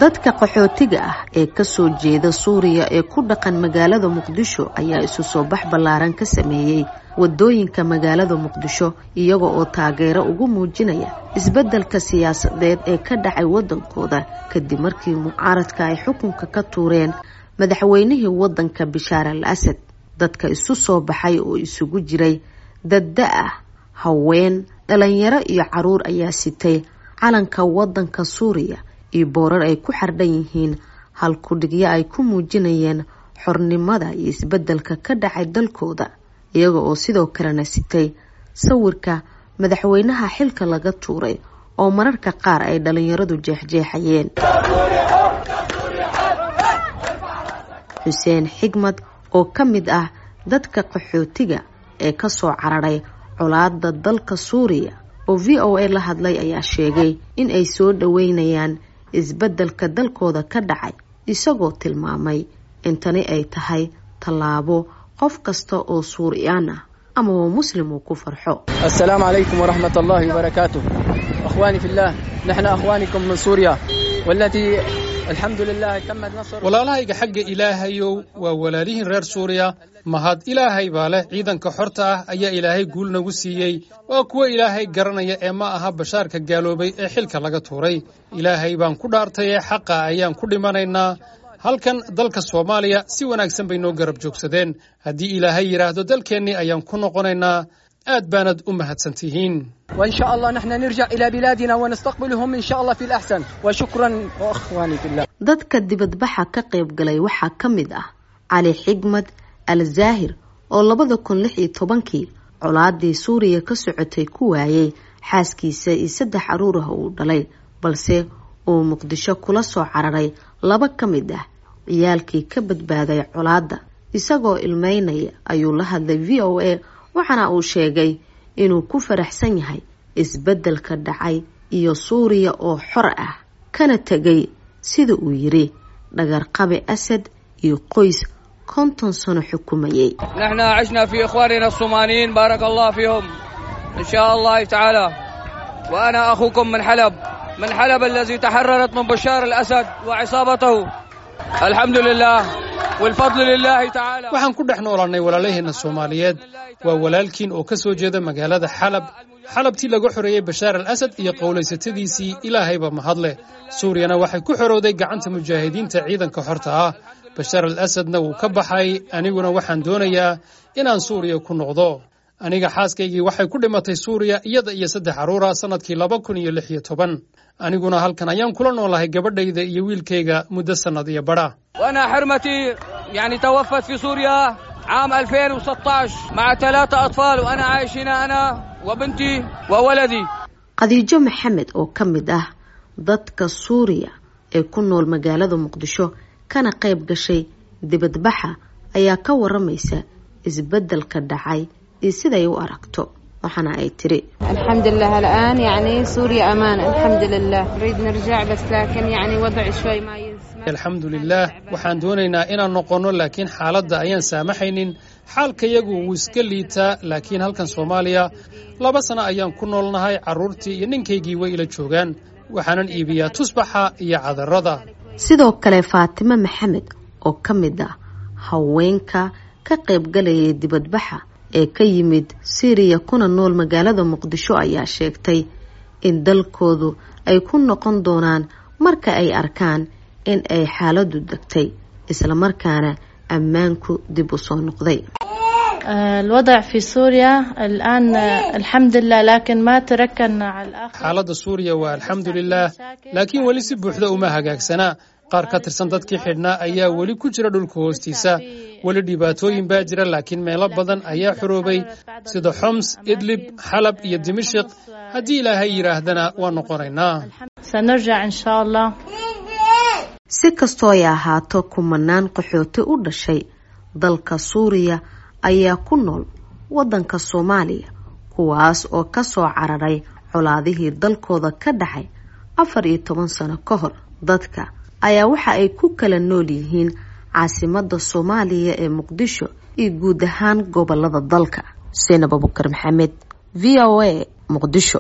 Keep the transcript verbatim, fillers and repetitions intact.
Dadka qaxootiga ah ee ka soo jeeda Suuriya ee ku dhaqan magaalada Muqdisho ayaa isu soo bax ballaaran ka sameeyay wadooyinka magaalada Muqdisho, iyaga oo taageero ugu muujinaya isbeddelka siyaasadeed ee ka dhacay waddankooda kadib markii mucaaradka ay xukunka ka tuureen madaxweynihii waddanka Bashaar al Asad. Dadka isu soo baxay oo isugu jiray dad da' ah, haween, dhalinyaro iyo caruur ayaa sitay calanka waddanka Suuriya iyo boorar ay ku xardhan yihiin halkudhigyo ay ku muujinayeen xornimada iyo isbeddelka ka dhacay dalkooda, iyaga oo sidoo kalena sitay sawirka madaxweynaha xilka laga tuuray oo mararka qaar ay dhalinyaradu jeexjeexayeen. Xuseen Xigmad oo ka mid ah dadka qaxootiga ee ka soo cararay colaadda dalka Suuriya oo V O A la hadlay ayaa sheegay in ay soo dhaweynayaan isbeddelka dalkooda ka dhacay, isagoo tilmaamay in tani ay tahay tallaabo qof kasta oo Suuriyaan ah ama muslim uu ku farxo. السلام عليكم ورحمة الله وبركاته. أخواني في الله، نحن أخوانكم من سوريا والتي الحمد لله تم النصر. Walaalahayga xagga Ilaahayow, waa walaalihiin reer Suuriya. Mahad Ilaahay baa leh. Ciidanka xorta ah ayaa Ilaahay guul nagu siiyey. Waa kuwa Ilaahay garanaya ee ma aha Bashaarka gaaloobay ee xilka laga tuuray. Ilaahay baan ku dhaartay ee xaqa ayaan ku dhimanaynaa. Halkan dalka Soomaaliya si wanaagsan bay noo garab joogsadeen. Haddii Ilaahay yidhaahdo, dalkeennii ayaan ku noqonaynaa. Aad baanad u mahadsantihiin. وإن شاء الله نحن نرجع إلى بلادنا ونستقبلهم إن شاء الله في الأحسن، وشكرا وأخواني في الله. Dadka dibadbaxa ka qayb galay waxaa ka mid ah Cali Xigmad Al Zaahir oo labada kun lix iyo tobankii colaadii Suuriya ka socotay ku waayay xaaskiisa iyo saddex caruur ah uu dhalay, balse uu Muqdisho kula soo cararay laba ka mid ah ciyaalkii ka badbaaday colaadda. Isagoo ilmeynaya ayuu la hadlay V O A, waxaana uu sheegay inuu ku faraxsan yahay isbeddelka dhacay iyo Suuriya oo xor ah, kana tegay sida uu yiri dhagarqabe Asad iyo qoys konton sano xukumayay. نحن عشنا في إخواننا الصوماليين، بارك الله فيهم إن شاء الله تعالى، وأنا أخوكم من حلب، من حلب الذي تحررت من بشار الأسد وعصابته. الحمد لله والفضل لله تعالى. Waxaan ku dhex noolaannay walaalaheenna Soomaaliyeed. Waa walaalkiin oo ka soo jeeda magaalada Xalab, Xalabtii laga xoreeyey Bashaar al Asad iyo qowlaysatadiisii. Ilaahayba mahadleh, Suuriyana waxay ku xorowday gacanta mujaahidiinta ciidanka xorta ah, Bashaar al Asadna wuu ka baxay. Aniguna waxaan doonayaa inaan Suuriya ku noqdo. Aniga xaaskaygii waxay ku dhimatay Suuriya, iyada iyo saddex carruura, sannadkii laba kun iyo lix iyo toban. Aniguna halkan ayaan kula noolahay gabadhayda iyo wiilkayga muddo sannad iyo badha. وأنا حرمتي يعني توفت في سوريا عام ألفين وستة عشر مع ثلاثة أطفال، وأنا عايش هنا أنا وبنتي وولدي. Khadiijo Maxamed oo ka mid ah dadka Suuriya ee ku nool magaalada Muqdisho kana qayb gashay dibadbaxa ayaa ka waramaysa isbeddelka dhacay iyo siday u aragto, waxaana ay tiri: الحمد لله، الآن يعني سوريا أمان، الحمد لله. نريد نرجع بس لكن يعني وضع شوي ما يسمح. Alxamdu lilaah, waxaan doonaynaa inaan noqonno, laakiin xaaladda ayaan saamaxaynin. Xaalkayagu wuu iska liitaa, laakiin halkan Soomaaliya laba sano ayaan ku noolnahay. Carruurtii iyo ninkaygii way ila joogaan. Waxaanan iibiyaa tusbaxa iyo cadarada. Sidoo kale Faatime Maxamed oo ka mid ah haweenka ka qayb galayay dibadbaxa ee ka yimid Siiriya kuna nool magaalada Muqdisho ayaa sheegtay in dalkoodu ay ku noqon doonaan marka ay arkaan in ay xaaladdu degtay, islamarkaana ammaanku dib u soo noqday. الوضع في سوريا الآن الحمد لله، لكن ما تركنا على الآخر. Xaaladda Suuriya waa alxamdu lilaah, laakiin weli si buuxda uma hagaagsanaa. Qaar ka tirsan dadkii xidhnaa ayaa weli ku jira dhulka hoostiisa. Weli dhibaatooyin baa jira, laakiin meelo badan ayaa xoroobay, sida Xoms, Idlib, Xalab iyo Dimashiq. Haddii Ilaahay yidhaahdana waa noqonaynaa. سنرجع إن شاء الله. Si kastoo ay ahaato, kumanaan qaxooti u dhashay dalka Suuriya ayaa ku nool waddanka Soomaaliya, kuwaas oo ka soo cararay colaadihii dalkooda ka dhacay afar iyo toban sano ka hor. Dadka ayaa waxa ay ku kala nool yihiin caasimadda Soomaaliya ee Muqdisho iyo guud ahaan gobolada dalka. Seenab Abukar Maxamed, V O A, Muqdisho.